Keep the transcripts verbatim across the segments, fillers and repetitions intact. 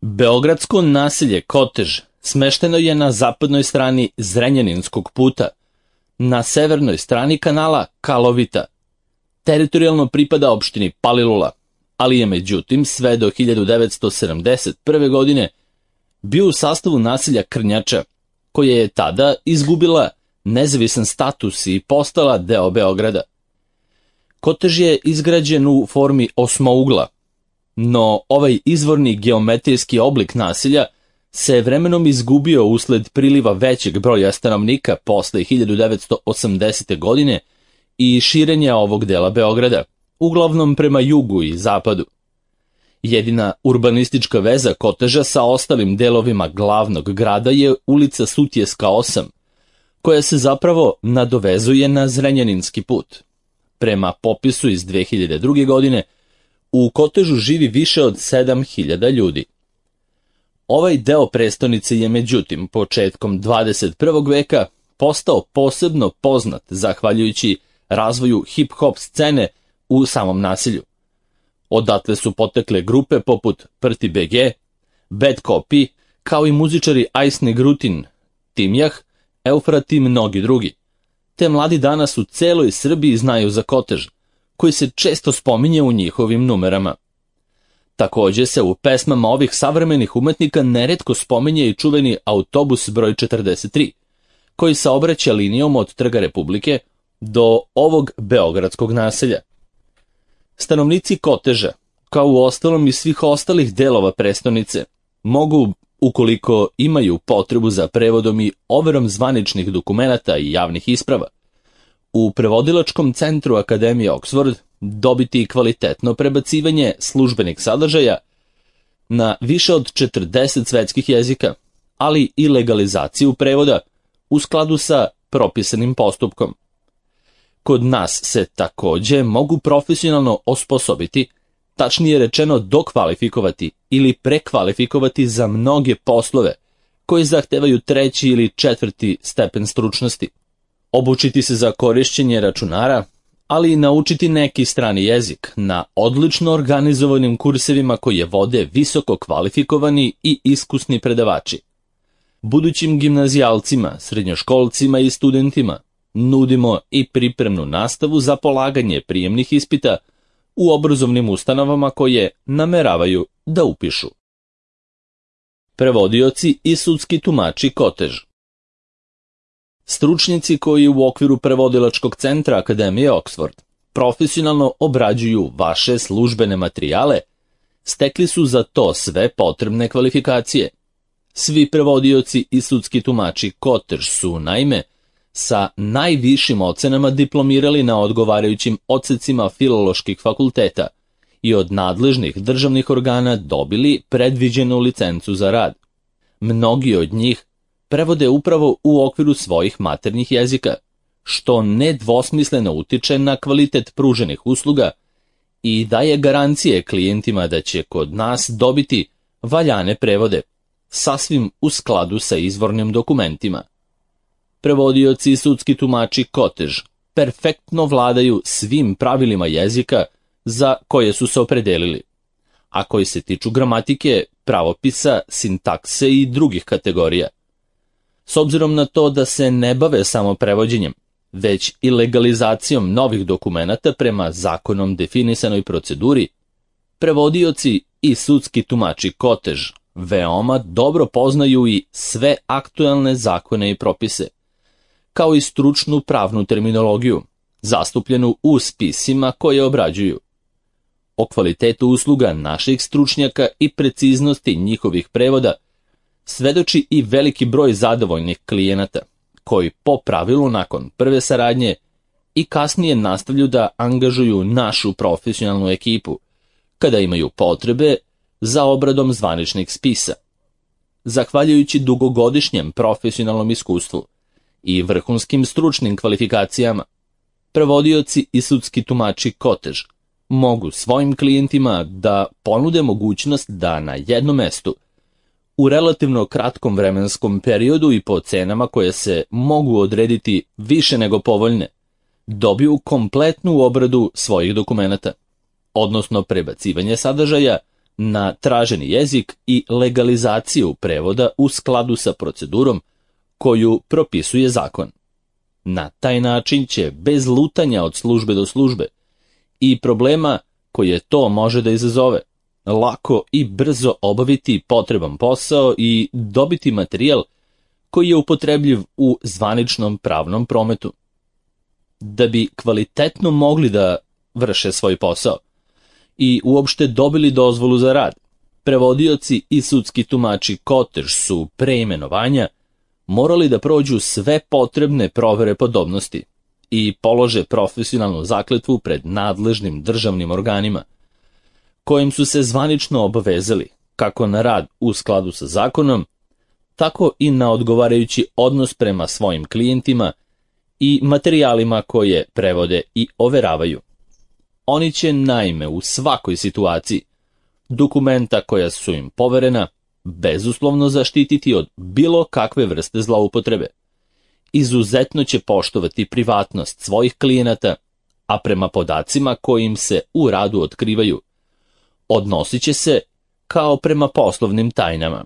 Beogradsko naselje Kotež smešteno je na zapadnoj strani Zrenjaninskog puta, na severnoj strani kanala Kalovita. Teritorijalno pripada opštini Palilula, ali je međutim sve do hiljadu devetsto sedamdeset prve. godine bio u sastavu naselja Krnjača, koja je tada izgubila nezavisan status i postala deo Beograda. Kotež je izgrađen u formi osmougla, no ovaj izvorni geometrijski oblik naselja se vremenom izgubio usled priliva većeg broja stanovnika posle hiljadu devetsto osamdesete. godine i širenja ovog dela Beograda, uglavnom prema jugu i zapadu. Jedina urbanistička veza Koteža sa ostalim delovima glavnog grada je ulica Sutjeska osam, koja se zapravo nadovezuje na Zrenjaninski put. Prema popisu iz dve hiljade druge. godine, u Kotežu živi više od sedam hiljada ljudi. Ovaj deo prestonice je međutim početkom dvadeset prvog. veka postao posebno poznat zahvaljujući razvoju hip-hop scene u samom naselju. Odatle su potekle grupe poput Prti be ge, Bad Copy, kao i muzičari Ice Negrutin, Timjah, Eufrat i mnogi drugi. Te mladi danas u celoj Srbiji znaju za Kotež, koji se često spominje u njihovim numerama. Takođe se u pesmama ovih savremenih umetnika neretko spominje i čuveni autobus broj četrdeset tri, koji saobraća linijom od Trga Republike do ovog beogradskog naselja. Stanovnici Koteža, kao u ostalom i svih ostalih delova prestonice, mogu, ukoliko imaju potrebu za prevodom i overom zvaničnih dokumenata i javnih isprava, u prevodilačkom centru Akademije Oxford dobiti kvalitetno prebacivanje službenih sadržaja na više od četrdeset svetskih jezika, ali i legalizaciju prevoda u skladu sa propisanim postupkom. Kod nas se takođe mogu profesionalno osposobiti, tačnije rečeno dokvalifikovati ili prekvalifikovati za mnoge poslove koji zahtevaju treći ili četvrti stepen stručnosti. Obučiti se za korišćenje računara, ali i naučiti neki strani jezik na odlično organizovanim kursevima koje vode visoko kvalifikovani i iskusni predavači. Budućim gimnazijalcima, srednjoškolcima i studentima nudimo i pripremnu nastavu za polaganje prijemnih ispita u obrazovnim ustanovama koje nameravaju da upišu. Prevodioci i sudski tumači Kotež. Stručnjaci koji u okviru prevodilačkog centra Akademije Oxford profesionalno obrađuju vaše službene materijale, stekli su za to sve potrebne kvalifikacije. Svi prevodioci i sudski tumači Kotež su, naime, sa najvišim ocenama diplomirali na odgovarajućim odsecima filoloških fakulteta i od nadležnih državnih organa dobili predviđenu licencu za rad. Mnogi od njih prevode upravo u okviru svojih maternjih jezika, što nedvosmisleno utiče na kvalitet pruženih usluga i daje garancije klijentima da će kod nas dobiti valjane prevode, sasvim u skladu sa izvornim dokumentima. Prevodioci i sudski tumači Kotež perfektno vladaju svim pravilima jezika za koje su se opredelili, a koji se tiču gramatike, pravopisa, sintakse i drugih kategorija. S obzirom na to da se ne bave samo prevođenjem, već i legalizacijom novih dokumenata prema zakonom definisanoj proceduri, prevodioci i sudski tumači Kotež veoma dobro poznaju i sve aktuelne zakone i propise, kao i stručnu pravnu terminologiju, zastupljenu u spisima koje obrađuju. O kvalitetu usluga naših stručnjaka i preciznosti njihovih prevoda svedoči i veliki broj zadovoljnih klijenata, koji po pravilu nakon prve saradnje i kasnije nastavljaju da angažuju našu profesionalnu ekipu, kada imaju potrebe za obradom zvaničnih spisa. Zahvaljujući dugogodišnjem profesionalnom iskustvu i vrhunskim stručnim kvalifikacijama, prevodioci i sudski tumači Kotež mogu svojim klijentima da ponude mogućnost da na jednom mestu, u relativno kratkom vremenskom periodu i po cenama koje se mogu odrediti više nego povoljne, dobiju kompletnu obradu svojih dokumenata, odnosno prebacivanje sadržaja na traženi jezik i legalizaciju prevoda u skladu sa procedurom koju propisuje zakon. Na taj način će, bez lutanja od službe do službe i problema koje to može da izazove, lako i brzo obaviti potreban posao i dobiti materijal koji je upotrebljiv u zvaničnom pravnom prometu. Da bi kvalitetno mogli da vrše svoj posao i uopšte dobili dozvolu za rad, prevodioci i sudski tumači kotež su pre imenovanja morali da prođu sve potrebne provere podobnosti i polože profesionalnu zakletvu pred nadležnim državnim organima, kojim su se zvanično obavezali kako na rad u skladu sa zakonom, tako i na odgovarajući odnos prema svojim klijentima i materijalima koje prevode i overavaju. Oni će naime u svakoj situaciji dokumenta koja su im poverena bezuslovno zaštititi od bilo kakve vrste zloupotrebe. Izuzetno će poštovati privatnost svojih klijenata, a prema podacima kojim se u radu otkrivaju, odnosit će se kao prema poslovnim tajnama.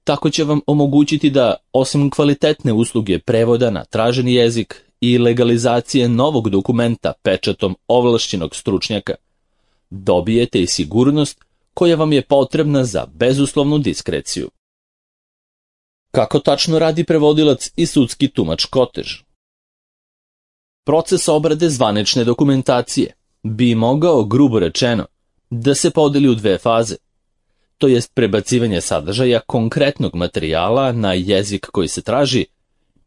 Tako će vam omogućiti da, osim kvalitetne usluge prevoda na traženi jezik i legalizacije novog dokumenta pečatom ovlašćenog stručnjaka, dobijete i sigurnost koja vam je potrebna za bezuslovnu diskreciju. Kako tačno radi prevodilac i sudski tumač kotež? Proces obrade zvanične dokumentacije bi mogao, grubo rečeno, da se podeli u dve faze, to jest prebacivanje sadržaja konkretnog materijala na jezik koji se traži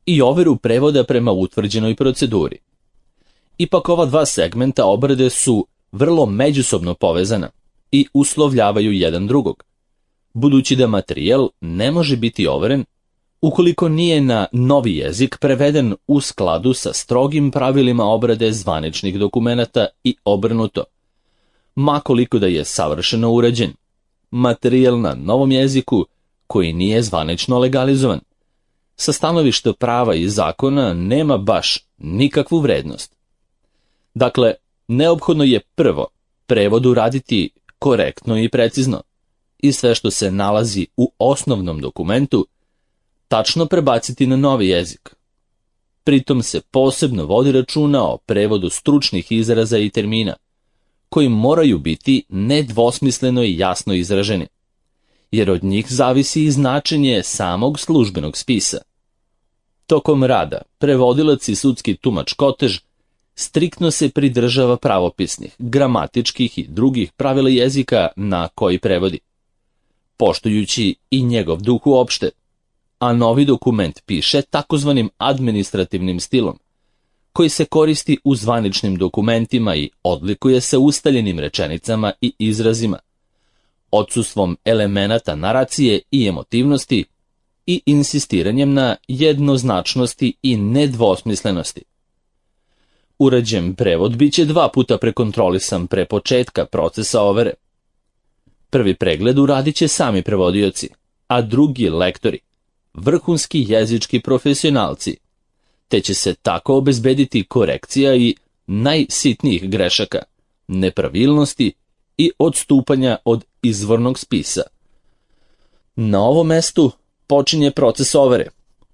i overu prevoda prema utvrđenoj proceduri. Ipak ova dva segmenta obrade su vrlo međusobno povezana i uslovljavaju jedan drugog, budući da materijal ne može biti overen ukoliko nije na novi jezik preveden u skladu sa strogim pravilima obrade zvaničnih dokumenata i obrnuto, ma koliko da je savršeno urađen. Materijal na novom jeziku koji nije zvanično legalizovan, sa stanovišta prava i zakona nema baš nikakvu vrednost. Dakle, neophodno je prvo prevod uraditi korektno i precizno i sve što se nalazi u osnovnom dokumentu tačno prebaciti na novi jezik. Pritom se posebno vodi računa o prevodu stručnih izraza i termina, koji moraju biti nedvosmisleno i jasno izraženi, jer od njih zavisi i značenje samog službenog spisa. Tokom rada, prevodilac i sudski tumač kotež striktno se pridržava pravopisnih, gramatičkih i drugih pravila jezika na koji prevodi, poštujući i njegov duh uopšte, a novi dokument piše takozvanim administrativnim stilom, koji se koristi u zvaničnim dokumentima i odlikuje se ustaljenim rečenicama i izrazima, odsustvom elemenata naracije i emotivnosti i insistiranjem na jednoznačnosti i nedvosmislenosti. Urađen prevod biće dva puta prekontrolisan pre početka procesa overe. Prvi pregled uradit će sami prevodioci, a drugi lektori, vrhunski jezički profesionalci, te će se tako obezbediti korekcija i najsitnijih grešaka, nepravilnosti i odstupanja od izvornog spisa. Na ovom mestu počinje proces overe,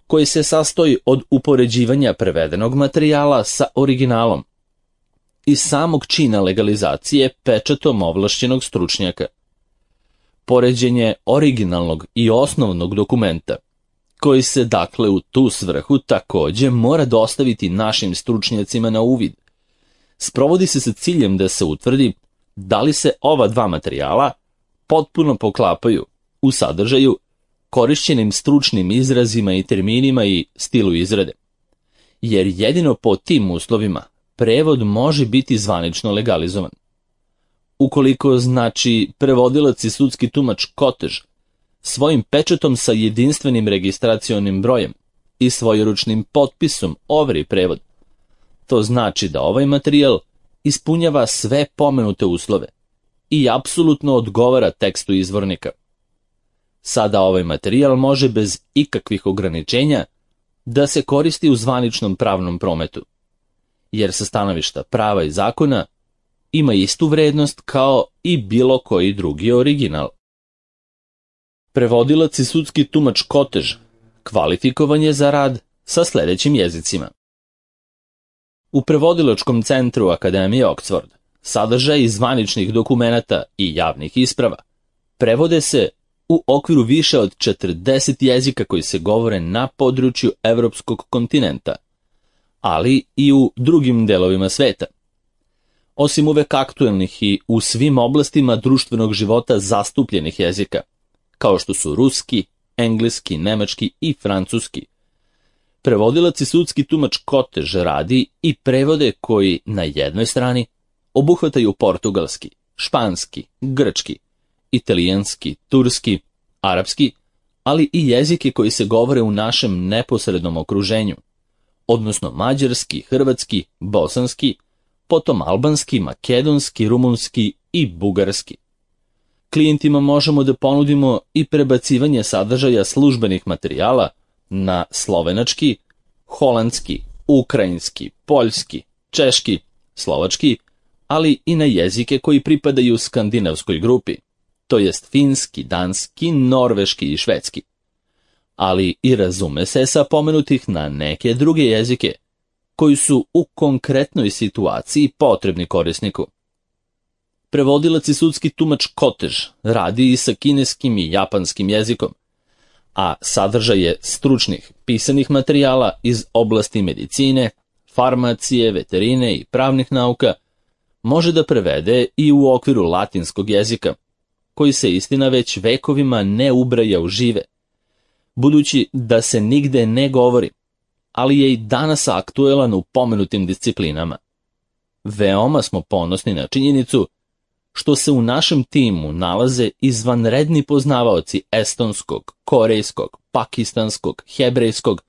koji se sastoji od upoređivanja prevedenog materijala sa originalom i samog čina legalizacije pečatom ovlašćenog stručnjaka. Poređenje originalnog i osnovnog dokumenta, koji se dakle u tu svrhu takođe mora dostaviti našim stručnjacima na uvid, sprovodi se sa ciljem da se utvrdi da li se ova dva materijala potpuno poklapaju u sadržaju, korišćenim stručnim izrazima i terminima i stilu izrade, jer jedino po tim uslovima prevod može biti zvanično legalizovan. Ukoliko, znači, prevodilac i sudski tumač kotež svojim pečatom sa jedinstvenim registracionim brojem i svojeručnim potpisom overi prevod, to znači da ovaj materijal ispunjava sve pomenute uslove i apsolutno odgovara tekstu izvornika. Sada ovaj materijal može bez ikakvih ograničenja da se koristi u zvaničnom pravnom prometu, jer sa stanovišta prava i zakona ima istu vrednost kao i bilo koji drugi original. Prevodilac i sudski tumač Kotež kvalifikovan je za rad sa sljedećim jezicima. U Prevodilačkom centru Akademije Oxford sadržaj zvaničnih dokumenata i javnih isprava prevode se u okviru više od četrdeset jezika koji se govore na području evropskog kontinenta, ali i u drugim delovima sveta. Osim uvek aktuelnih i u svim oblastima društvenog života zastupljenih jezika, kao što su ruski, engleski, nemački i francuski, prevodilac i sudski tumač Kotež radi i prevode koji na jednoj strani obuhvataju portugalski, španski, grčki, italijanski, turski, arapski, ali i jezike koji se govore u našem neposrednom okruženju, odnosno mađarski, hrvatski, bosanski, potom albanski, makedonski, rumunski i bugarski. Klijentima možemo da ponudimo i prebacivanje sadržaja službenih materijala na slovenački, holandski, ukrajinski, poljski, češki, slovački, ali i na jezike koji pripadaju skandinavskoj grupi, to jest finski, danski, norveški i švedski. Ali i razume se sa pomenutih na neke druge jezike, koji su u konkretnoj situaciji potrebni korisniku. Prevodilac i sudski tumač Kotež radi i sa kineskim i japanskim jezikom, a sadržaj je stručnih pisanih materijala iz oblasti medicine, farmacije, veterine i pravnih nauka može da prevede i u okviru latinskog jezika, koji se istina već vekovima ne ubraja u žive, budući da se nigde ne govori, ali je i danas aktuelan u pomenutim disciplinama. Veoma smo ponosni na činjenicu što se u našem timu nalaze izvanredni poznavaoci estonskog, korejskog, pakistanskog, hebrejskog,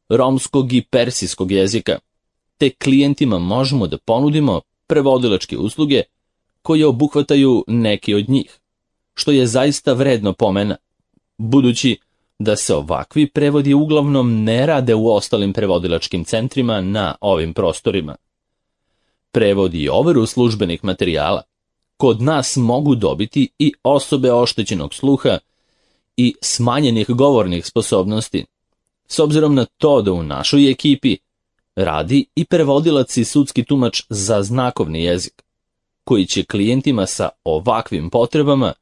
romskog i persijskog jezika, te klijentima možemo da ponudimo prevodilačke usluge koje obuhvataju neki od njih, što je zaista vredno pomena, budući da se ovakvi prevodi uglavnom ne rade u ostalim prevodilačkim centrima na ovim prostorima. Prevod i overu službenih materijala kod nas mogu dobiti i osobe oštećenog sluha i smanjenih govornih sposobnosti, s obzirom na to da u našoj ekipi radi i prevodilac i sudski tumač za znakovni jezik, koji će klijentima sa ovakvim potrebama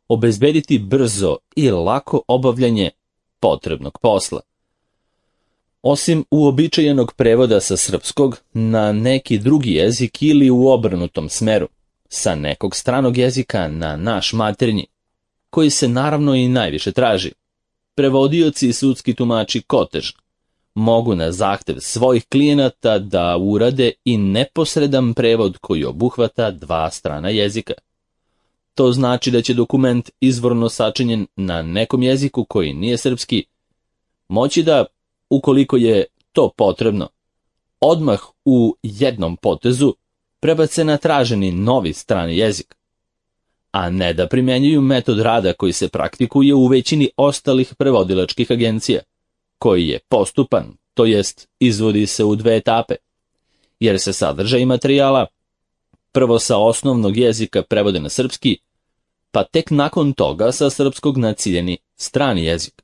obezbediti brzo i lako obavljanje potrebnog posla. Osim uobičajenog prevoda sa srpskog na neki drugi jezik ili u obrnutom smeru, sa nekog stranog jezika na naš maternji, koji se naravno i najviše traži, prevodioci i sudski tumači Kotež mogu na zahtev svojih klijenata da urade i neposredan prevod koji obuhvata dva strana jezika. To znači da će dokument izvorno sačinjen na nekom jeziku koji nije srpski moći da, ukoliko je to potrebno, odmah u jednom potezu prebace na traženi novi strani jezik, a ne da primjenjuju metod rada koji se praktikuje u većini ostalih prevodilačkih agencija, koji je postupan, to jest izvodi se u dve etape, jer se sadržaj materijala prvo sa osnovnog jezika prevode na srpski, pa tek nakon toga sa srpskog na ciljeni strani jezik.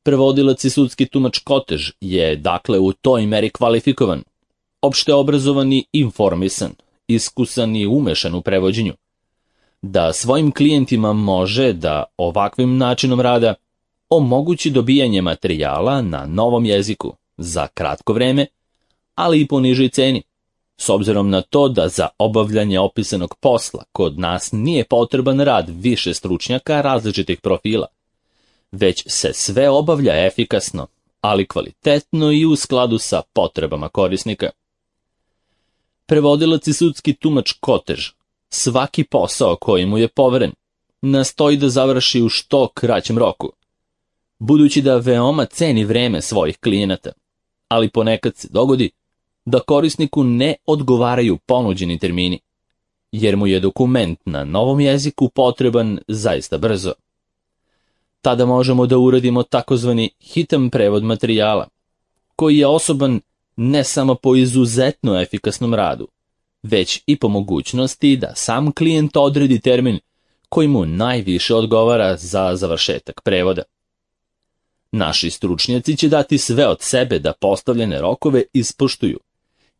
Prevodilac i sudski tumač Kotež je dakle u toj meri kvalifikovan, opšte obrazovan i informisan, iskusan i umešan u prevođenju, da svojim klijentima može da ovakvim načinom rada omogući dobijanje materijala na novom jeziku za kratko vreme, ali i po nižoj ceni, s obzirom na to da za obavljanje opisanog posla kod nas nije potreban rad više stručnjaka različitih profila, već se sve obavlja efikasno, ali kvalitetno i u skladu sa potrebama korisnika. Prevodilac i sudski tumač Kotež svaki posao koji mu je poveren nastoji da završi u što kraćem roku, budući da veoma ceni vreme svojih klijenata, ali ponekad se dogodi da korisniku ne odgovaraju ponuđeni termini, jer mu je dokument na novom jeziku potreban zaista brzo. Tada možemo da uradimo takozvani hitan prevod materijala, koji je osoban ne samo po izuzetno efikasnom radu, već i po mogućnosti da sam klijent odredi termin koji mu najviše odgovara za završetak prevoda. Naši stručnjaci će dati sve od sebe da postavljene rokove ispoštuju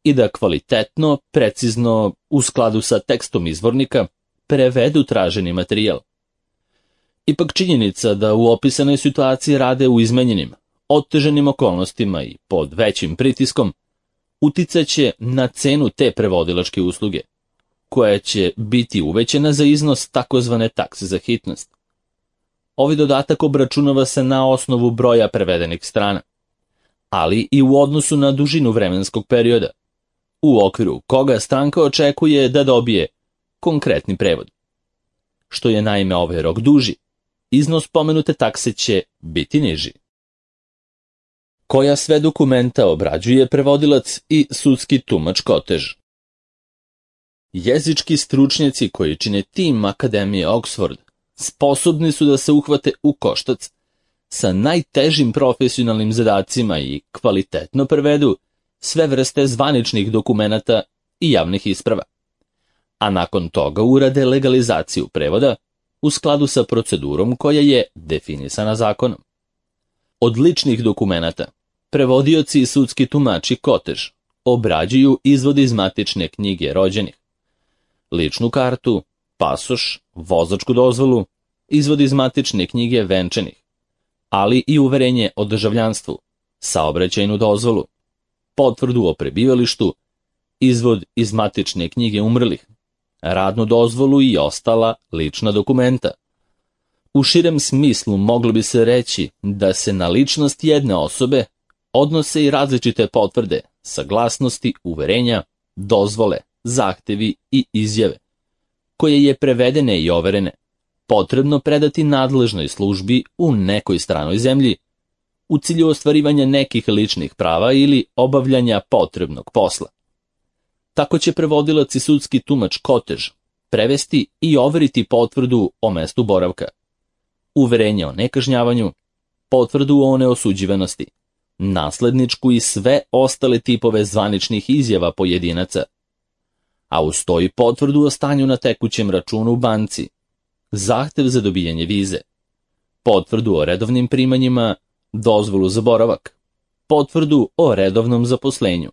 i da kvalitetno, precizno, u skladu sa tekstom izvornika, prevedu traženi materijal. Ipak činjenica da u opisanoj situaciji rade u izmenjenim, otežanim okolnostima i pod većim pritiskom, uticaće na cenu te prevodilačke usluge, koja će biti uvećana za iznos takozvane takse za hitnost. Ovaj dodatak obračunava se na osnovu broja prevedenih strana, ali i u odnosu na dužinu vremenskog perioda, u okviru koga stranka očekuje da dobije konkretni prevod. Što je naime ovaj rok duži, iznos pomenute takse će biti niži. Koja sve dokumenta obrađuje prevodilac i sudski tumač Kotež? Jezički stručnjaci koji čine tim Akademije Oxford sposobni su da se uhvate u koštac sa najtežim profesionalnim zadacima i kvalitetno prevedu sve vrste zvaničnih dokumenata i javnih isprava, a nakon toga urade legalizaciju prevoda u skladu sa procedurom koja je definisana zakonom. Od ličnih dokumenata prevodioci i sudski tumači Kotež obrađuju izvod iz matične knjige rođenih, ličnu kartu, pasoš, vozačku dozvolu, izvod iz matične knjige venčanih, ali i uverenje o državljanstvu, saobraćajnu dozvolu, potvrdu o prebivalištu, izvod iz matične knjige umrlih, radnu dozvolu i ostala lična dokumenta. U širem smislu moglo bi se reći da se na ličnost jedne osobe odnose i različite potvrde, saglasnosti, uverenja, dozvole, zahtevi i izjave, koje je prevedene i overene, potrebno predati nadležnoj službi u nekoj stranoj zemlji, u cilju ostvarivanja nekih ličnih prava ili obavljanja potrebnog posla. Tako će prevodilac i sudski tumač Kotež prevesti i overiti potvrdu o mestu boravka, uverenje o nekažnjavanju, potvrdu o neosuđivanosti, nasledničku i sve ostale tipove zvaničnih izjava pojedinaca, a uz to i potvrdu o stanju na tekućem računu u banci, zahtev za dobijanje vize, potvrdu o redovnim primanjima, dozvolu za boravak, potvrdu o redovnom zaposlenju,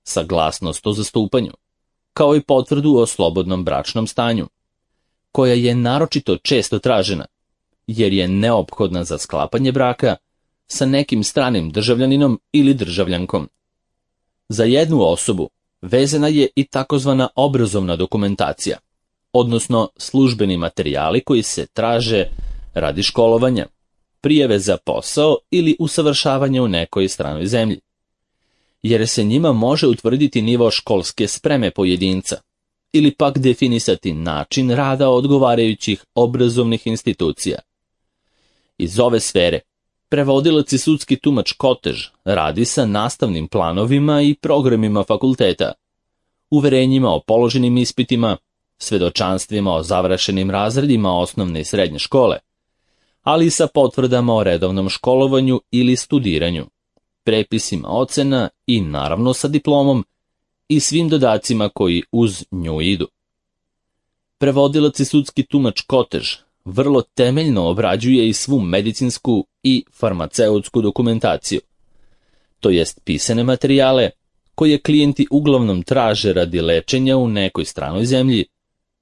saglasnost o zastupanju, kao i potvrdu o slobodnom bračnom stanju, koja je naročito često tražena, jer je neophodna za sklapanje braka sa nekim stranim državljaninom ili državljankom. Za jednu osobu vezana je i takozvana obrazovna dokumentacija, odnosno službeni materijali koji se traže radi školovanja, prijave za posao ili usavršavanja u nekoj stranoj zemlji, jer se njima može utvrditi nivo školske spreme pojedinca ili pak definisati način rada odgovarajućih obrazovnih institucija. Iz ove sfere prevodilac i sudski tumač Kotež radi sa nastavnim planovima i programima fakulteta, uverenjima o položenim ispitima, svedočanstvima o završenim razredima osnovne i srednje škole, ali i sa potvrdama o redovnom školovanju ili studiranju, prepisima ocena i naravno sa diplomom i svim dodacima koji uz nju idu. Prevodilac i sudski tumač Kotež vrlo temeljno obrađuje i svu medicinsku i farmaceutsku dokumentaciju, to jest pisane materijale koje klijenti uglavnom traže radi lečenja u nekoj stranoj zemlji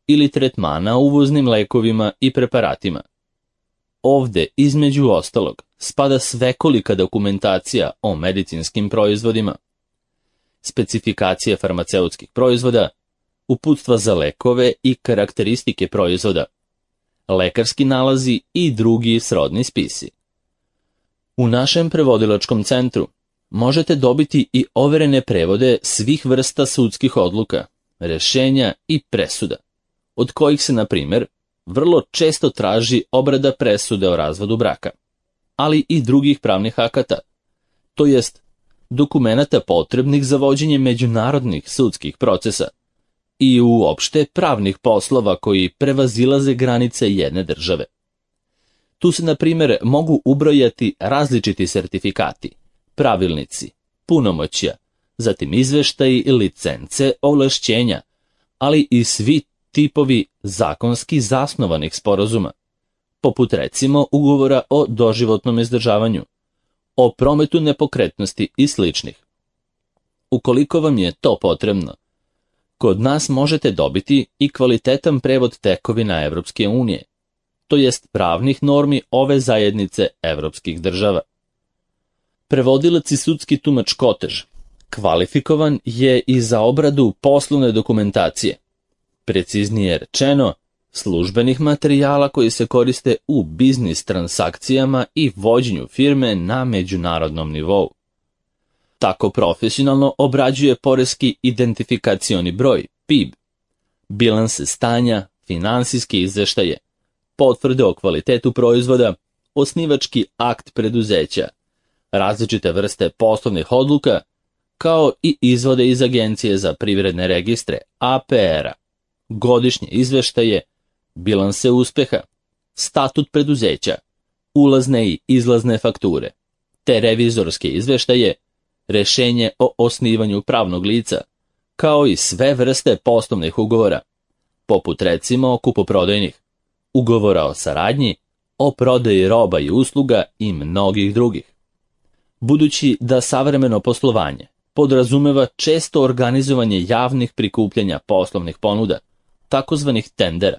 ili tretmana uvoznim lekovima i preparatima. Ovde, između ostalog, spada svekolika dokumentacija o medicinskim proizvodima, specifikacije farmaceutskih proizvoda, uputstva za lekove i karakteristike proizvoda, lekarski nalazi i drugi srodni spisi. U našem prevodilačkom centru možete dobiti i overene prevode svih vrsta sudskih odluka, rešenja i presuda, od kojih se, na primjer, vrlo često traži obrada presude o razvodu braka, ali i drugih pravnih akata, to jest dokumenata potrebnih za vođenje međunarodnih sudskih procesa i uopšte pravnih poslova koji prevazilaze granice jedne države. Tu se, na primjer, mogu ubrojati različiti sertifikati, pravilnici, punomoćja, zatim izveštaji i licence, ovlašćenja, ali i svi tipovi zakonski zasnovanih sporazuma, poput recimo ugovora o doživotnom izdržavanju, o prometu nepokretnosti i sličnih. Ukoliko vam je to potrebno, kod nas možete dobiti i kvalitetan prevod tekovina Evropske unije, to jest pravnih normi ove zajednice evropskih država. Prevodilac i sudski tumač Kotež kvalifikovan je i za obradu poslovne dokumentacije, preciznije rečeno, službenih materijala koji se koriste u biznis transakcijama i vođenju firme na međunarodnom nivou. Tako profesionalno obrađuje poreski identifikacioni broj, P I B, bilanse stanja, finansijske izveštaje, potvrde o kvalitetu proizvoda, osnivački akt preduzeća, različite vrste poslovnih odluka, kao i izvode iz Agencije za privredne registre, A P R-a, godišnje izveštaje, bilanse uspeha, statut preduzeća, ulazne i izlazne fakture, te revizorske izveštaje, rešenje o osnivanju pravnog lica, kao i sve vrste poslovnih ugovora, poput recimo kupoprodajnih, ugovora o saradnji, o prodaji roba i usluga i mnogih drugih. Budući da savremeno poslovanje podrazumeva često organizovanje javnih prikupljanja poslovnih ponuda, takozvanih tendera,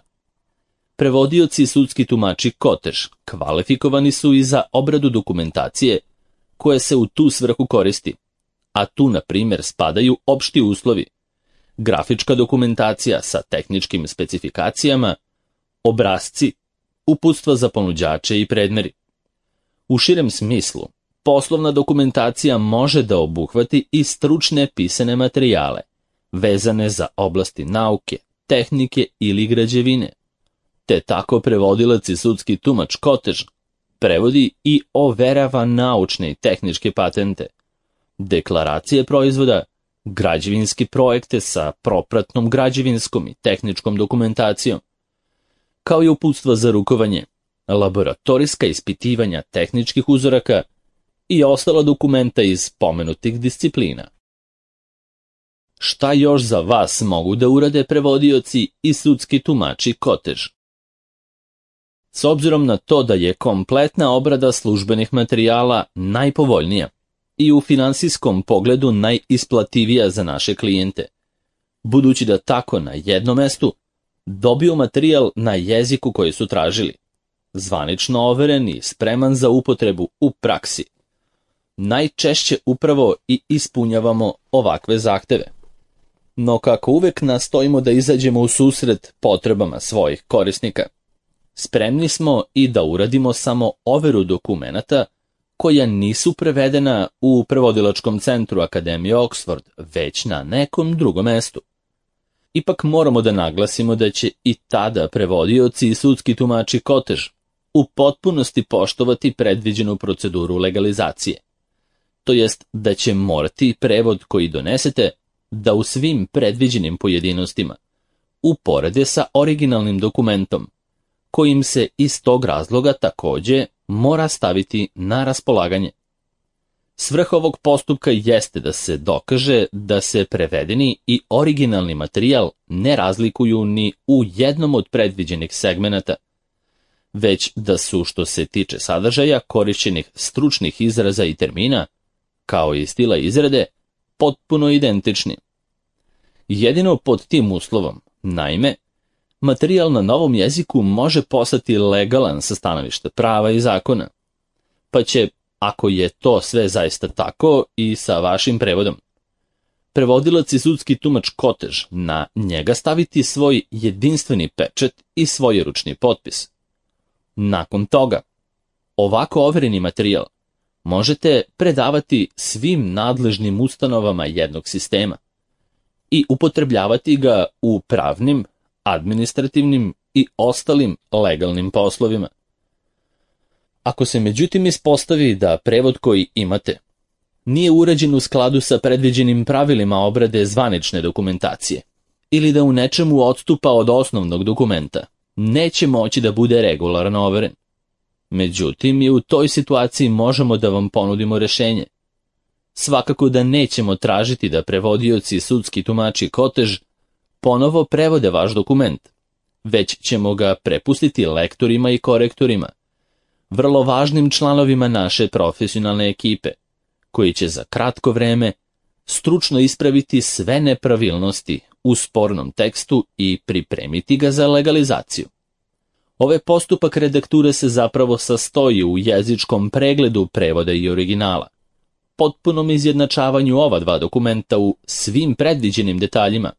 prevodioci i sudski tumači Kotež kvalifikovani su i za obradu dokumentacije koje se u tu svrhu koristi, a tu na primjer spadaju opšti uslovi, grafička dokumentacija sa tehničkim specifikacijama, obrasci, uputstva za ponuđače i predmeri. U širem smislu, poslovna dokumentacija može da obuhvati i stručne pisane materijale, vezane za oblasti nauke, tehnike ili građevine, te tako prevodilac i sudski tumač Kotež prevodi i overava naučne i tehničke patente, deklaracije proizvoda, građevinske projekte sa propratnom građevinskom i tehničkom dokumentacijom, kao i uputstva za rukovanje, laboratorijska ispitivanja tehničkih uzoraka i ostala dokumenta iz pomenutih disciplina. Šta još za vas mogu da urade prevodioci i sudski tumači Kotež? S obzirom na to da je kompletna obrada službenih materijala najpovoljnija i u finansijskom pogledu najisplativija za naše klijente, budući da tako na jednom mestu dobiju materijal na jeziku koji su tražili, zvanično overen i spreman za upotrebu u praksi, najčešće upravo i ispunjavamo ovakve zahteve. No kako uvek nastojimo da izađemo u susret potrebama svojih korisnika, spremni smo i da uradimo samo overu dokumenata koja nisu prevedena u prevodilačkom centru Akademije Oxford, već na nekom drugom mestu. Ipak moramo da naglasimo da će i tada prevodioci i sudski tumači Kotež u potpunosti poštovati predviđenu proceduru legalizacije. To jest da će morati prevod koji donesete da u svim predviđenim pojedinostima uporede sa originalnim dokumentom, kojim se iz tog razloga takođe mora staviti na raspolaganje. Svrha ovog postupka jeste da se dokaže da se prevedeni i originalni materijal ne razlikuju ni u jednom od predviđenih segmenata, već da su, što se tiče sadržaja korišćenih stručnih izraza i termina, kao i stila izrade, potpuno identični. Jedino pod tim uslovom, naime, materijal na novom jeziku može postati legalan sa stanovišta prava i zakona, pa će, ako je to sve zaista tako, i sa vašim prevodom, prevodilac i sudski tumač Kotež na njega staviti svoj jedinstveni pečat i svoj ručni potpis. Nakon toga, ovako overeni materijal možete predavati svim nadležnim ustanovama jednog sistema i upotrebljavati ga u pravnim, administrativnim i ostalim legalnim poslovima. Ako se međutim ispostavi da prevod koji imate nije urađen u skladu sa predviđenim pravilima obrade zvanične dokumentacije ili da u nečemu odstupa od osnovnog dokumenta, neće moći da bude regularno overen. Međutim, i u toj situaciji možemo da vam ponudimo rešenje. Svakako da nećemo tražiti da prevodioci i sudski tumači Kotež ponovo prevode vaš dokument, već ćemo ga prepustiti lektorima i korektorima, vrlo važnim članovima naše profesionalne ekipe, koji će za kratko vreme stručno ispraviti sve nepravilnosti u spornom tekstu i pripremiti ga za legalizaciju. Ovaj postupak redakture se zapravo sastoji u jezičkom pregledu prevoda i originala, potpunom izjednačavanju ova dva dokumenta u svim predviđenim detaljima,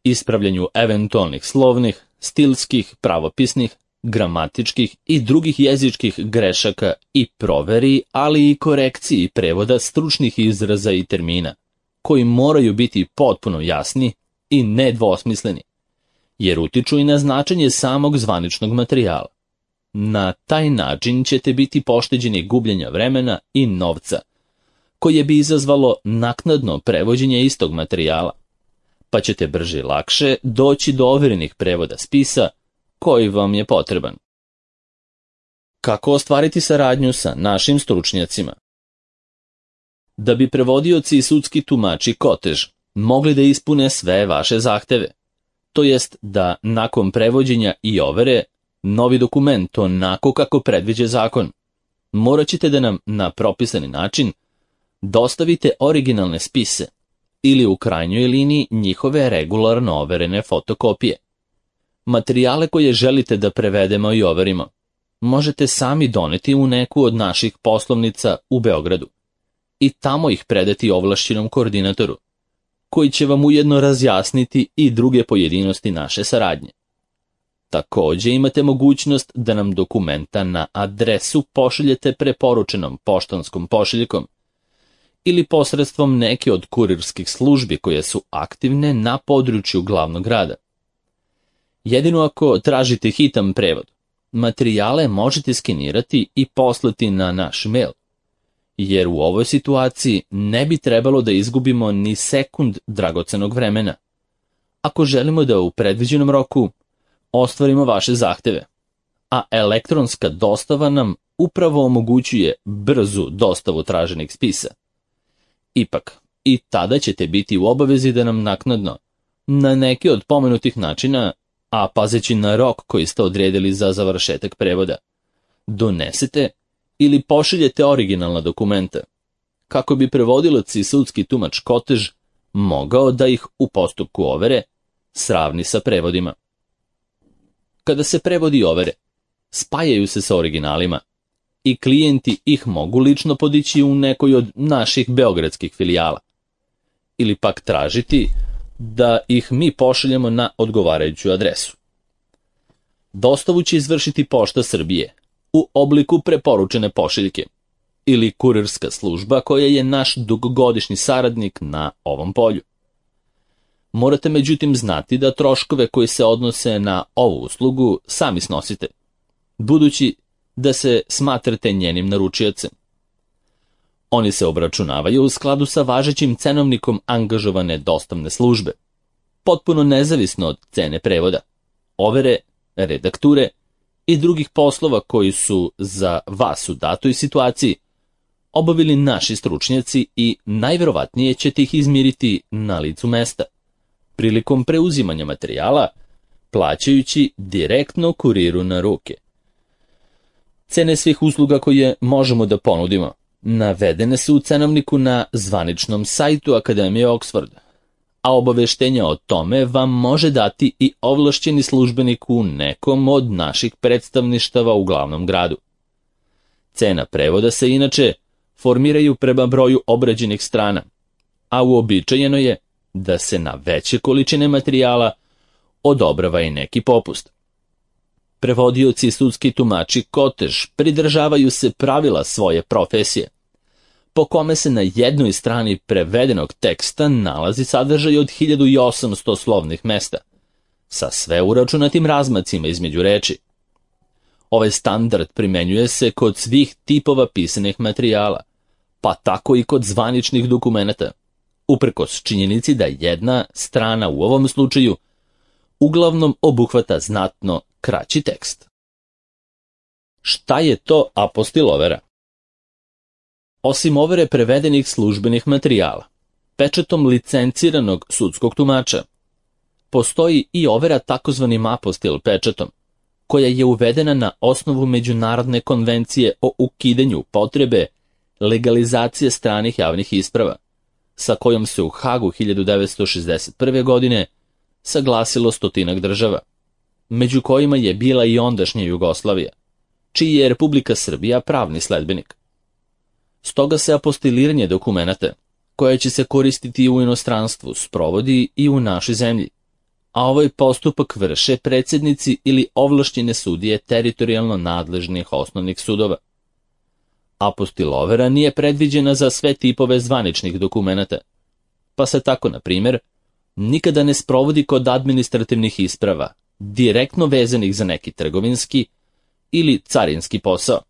ispravljanju eventualnih slovnih, stilskih, pravopisnih, gramatičkih i drugih jezičkih grešaka i proveri, ali i korekciji prevoda stručnih izraza i termina, koji moraju biti potpuno jasni i nedvosmisleni, jer utiču i na značenje samog zvaničnog materijala. Na taj način ćete biti pošteđeni gubljenja vremena i novca, koje bi izazvalo naknadno prevođenje istog materijala, pa ćete brže i lakše doći do overenih prevoda spisa koji vam je potreban. Kako ostvariti saradnju sa našim stručnjacima? Da bi prevodioci i sudski tumači Kotež mogli da ispune sve vaše zahteve, to jest da nakon prevođenja i overe novi dokument onako kako predviđa zakon, morat ćete da nam na propisani način dostavite originalne spise ili u krajnjoj liniji njihove regularno overene fotokopije. Materijale koje želite da prevedemo i overimo možete sami doneti u neku od naših poslovnica u Beogradu i tamo ih predati ovlašćenom koordinatoru, koji će vam ujedno razjasniti i druge pojedinosti naše saradnje. Također imate mogućnost da nam dokumenta na adresu pošaljete preporučenom poštanskom pošiljkom ili posredstvom neke od kurirskih službi koje su aktivne na području glavnog grada. Jedino ako tražite hitan prevod, materijale možete skenirati i poslati na naš mail, jer u ovoj situaciji ne bi trebalo da izgubimo ni sekund dragocenog vremena, ako želimo da u predviđenom roku ostvarimo vaše zahteve, a elektronska dostava nam upravo omogućuje brzu dostavu traženih spisa. Ipak, i tada ćete biti u obavezi da nam naknadno, na neki od pomenutih načina, a pazeći na rok koji ste odredili za završetak prevoda, donesete ili pošaljete originalna dokumenta, kako bi prevodilac i sudski tumač Kotež mogao da ih u postupku overe sravni sa prevodima. Kada se prevodi overe, spajaju se sa originalima i klijenti ih mogu lično podići u nekoj od naših beogradskih filijala, ili pak tražiti da ih mi pošaljemo na odgovarajuću adresu. Dostavu će izvršiti Pošta Srbije u obliku preporučene pošiljke ili kurirska služba koja je naš dugogodišnji saradnik na ovom polju. Morate međutim znati da troškove koji se odnose na ovu uslugu sami snosite, budući da se smatrate njenim naručiocem. Oni se obračunavaju u skladu sa važećim cenovnikom angažovane dostavne službe, potpuno nezavisno od cene prevoda, overe, redakture i drugih poslova koji su za vas u datoj situaciji obavili naši stručnjaci i najverovatnije ćete ih izmiriti na licu mesta, prilikom preuzimanja materijala, plaćajući direktno kuriru na ruke. Cene svih usluga koje možemo da ponudimo navedene su u cenovniku na zvaničnom sajtu Akademije Oxford, a obaveštenja o tome vam može dati i ovlašćeni službenik u nekom od naših predstavništava u glavnom gradu. Cena prevoda se inače formiraju prema broju obrađenih strana, a uobičajeno je da se na veće količine materijala odobrava i neki popust. Prevodioci i sudski tumači Kotež pridržavaju se pravila svoje profesije, po kome se na jednoj strani prevedenog teksta nalazi sadržaj od hiljadu osamsto slovnih mesta, sa sve uračunatim razmacima između reči. Ovaj standard primenjuje se kod svih tipova pisanih materijala, pa tako i kod zvaničnih dokumenata, uprkos činjenici da jedna strana u ovom slučaju uglavnom obuhvata znatno kraći tekst. Šta je to apostil overa? Osim overe prevedenih službenih materijala, pečatom licenciranog sudskog tumača, postoji i overa takozvanim apostil pečatom, koja je uvedena na osnovu Međunarodne konvencije o ukidanju potrebe legalizacije stranih javnih isprava, sa kojom se u Hagu hiljadu devetsto šezdeset prve. godine saglasilo stotinak država, među kojima je bila i ondašnja Jugoslavija, čiji je Republika Srbija pravni sledbenik. Stoga se apostiliranje dokumenata, koje će se koristiti u inostranstvu, sprovodi i u našoj zemlji, a ovaj postupak vrše predsjednici ili ovlašćene sudije teritorijalno nadležnih osnovnih sudova. Apostilovera nije predviđena za sve tipove zvaničnih dokumenata, pa se tako, na primjer, nikada ne sprovodi kod administrativnih isprava, direktno vezanih za neki trgovinski ili carinski posao,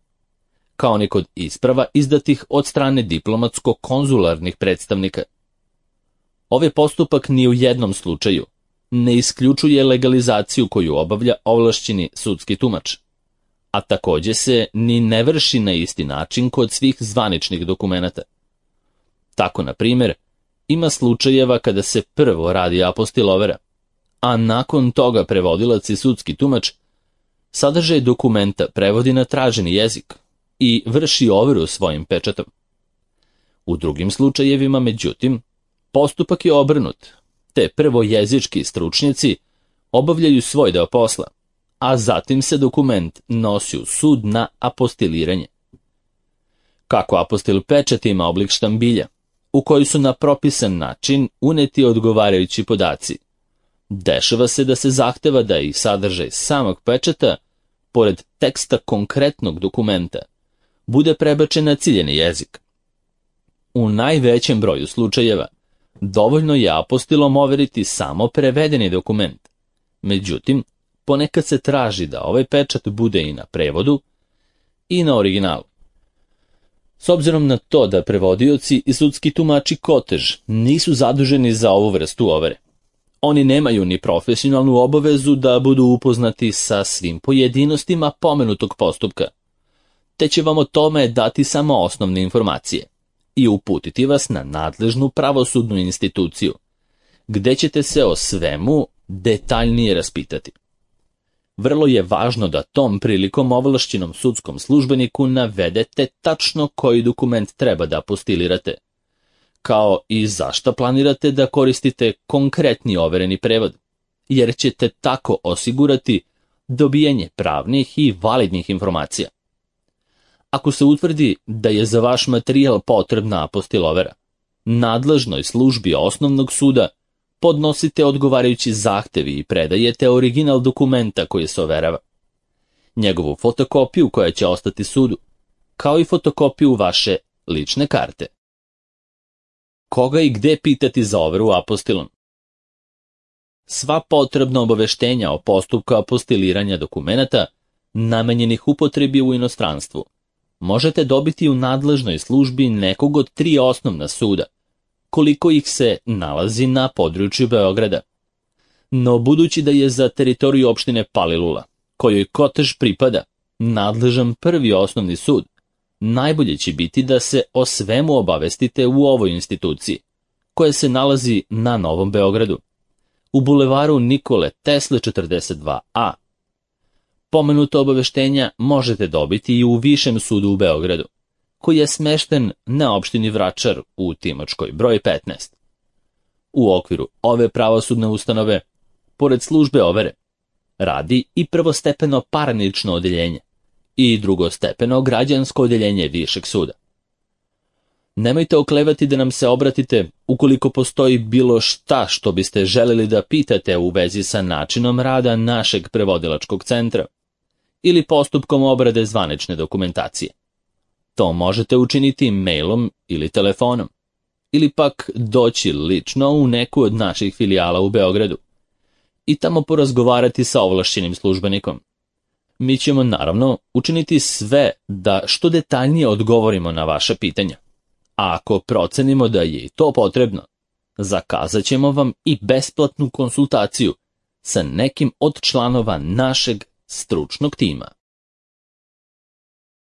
kao ni kod isprava izdatih od strane diplomatsko-konzularnih predstavnika. Ovaj postupak ni u jednom slučaju ne isključuje legalizaciju koju obavlja ovlašćeni sudski tumač, a također se ni ne vrši na isti način kod svih zvaničnih dokumenata. Tako, na primjer, ima slučajeva kada se prvo radi apostilovera, a nakon toga prevodilac i sudski tumač sadržaj dokumenta prevodi na traženi jezik i vrši overu svojim pečatom. U drugim slučajevima, međutim, postupak je obrnut, te prvo jezički stručnjaci obavljaju svoj deo posla, a zatim se dokument nosi u sud na apostiliranje. Kako apostil pečat ima oblik štambilja, u koji su na propisan način uneti odgovarajući podaci, dešava se da se zahteva da i sadržaj samog pečata, pored teksta konkretnog dokumenta, bude prebačen na ciljeni jezik. U najvećem broju slučajeva dovoljno je apostilom overiti samo prevedeni dokument. Međutim, ponekad se traži da ovaj pečat bude i na prevodu i na originalu. S obzirom na to da prevodioci i sudski tumači kotež nisu zaduženi za ovu vrstu overe, oni nemaju ni profesionalnu obavezu da budu upoznati sa svim pojedinostima pomenutog postupka, te će vam o tome dati samo osnovne informacije i uputiti vas na nadležnu pravosudnu instituciju, gde ćete se o svemu detaljnije raspitati. Vrlo je važno da tom prilikom ovlašćenom sudskom službeniku navedete tačno koji dokument treba da apostilirate, kao i zašto planirate da koristite konkretni overeni prevod, jer ćete tako osigurati dobijanje pravnih i validnih informacija. Ako se utvrdi da je za vaš materijal potrebna apostilovera, nadležnoj službi osnovnog suda podnosite odgovarajući zahtevi i predajete original dokumenta koji se overava, njegovu fotokopiju koja će ostati sudu, kao i fotokopiju vaše lične karte. Koga i gde pitati za overu apostilom? Sva potrebna obaveštenja o postupku apostiliranja dokumenata namenjenih upotrebi u inostranstvu možete dobiti u nadležnoj službi nekog od tri osnovna suda, koliko ih se nalazi na području Beograda. No budući da je za teritoriju opštine Palilula, kojoj Kotež pripada, nadležan prvi osnovni sud, najbolje će biti da se o svemu obavestite u ovoj instituciji, koja se nalazi na Novom Beogradu, u bulevaru Nikole Tesle četrdeset dva a. Pomenuto obaveštenja možete dobiti i u Višem sudu u Beogradu, koji je smešten na opštini Vračar u Timočkoj broj petnaest. U okviru ove pravosudne ustanove, pored službe overe, radi i prvostepeno parnično odeljenje i drugostepeno građansko odeljenje Višeg suda. Nemojte oklevati da nam se obratite ukoliko postoji bilo šta što biste želeli da pitate u vezi sa načinom rada našeg prevodilačkog centra ili postupkom obrade zvanične dokumentacije. To možete učiniti mailom ili telefonom, ili pak doći lično u neku od naših filijala u Beogradu i tamo porazgovarati sa ovlašćenim službenikom. Mi ćemo naravno učiniti sve da što detaljnije odgovorimo na vaše pitanja, a ako procenimo da je i to potrebno, zakazat ćemo vam i besplatnu konsultaciju sa nekim od članova našeg stručnog tima.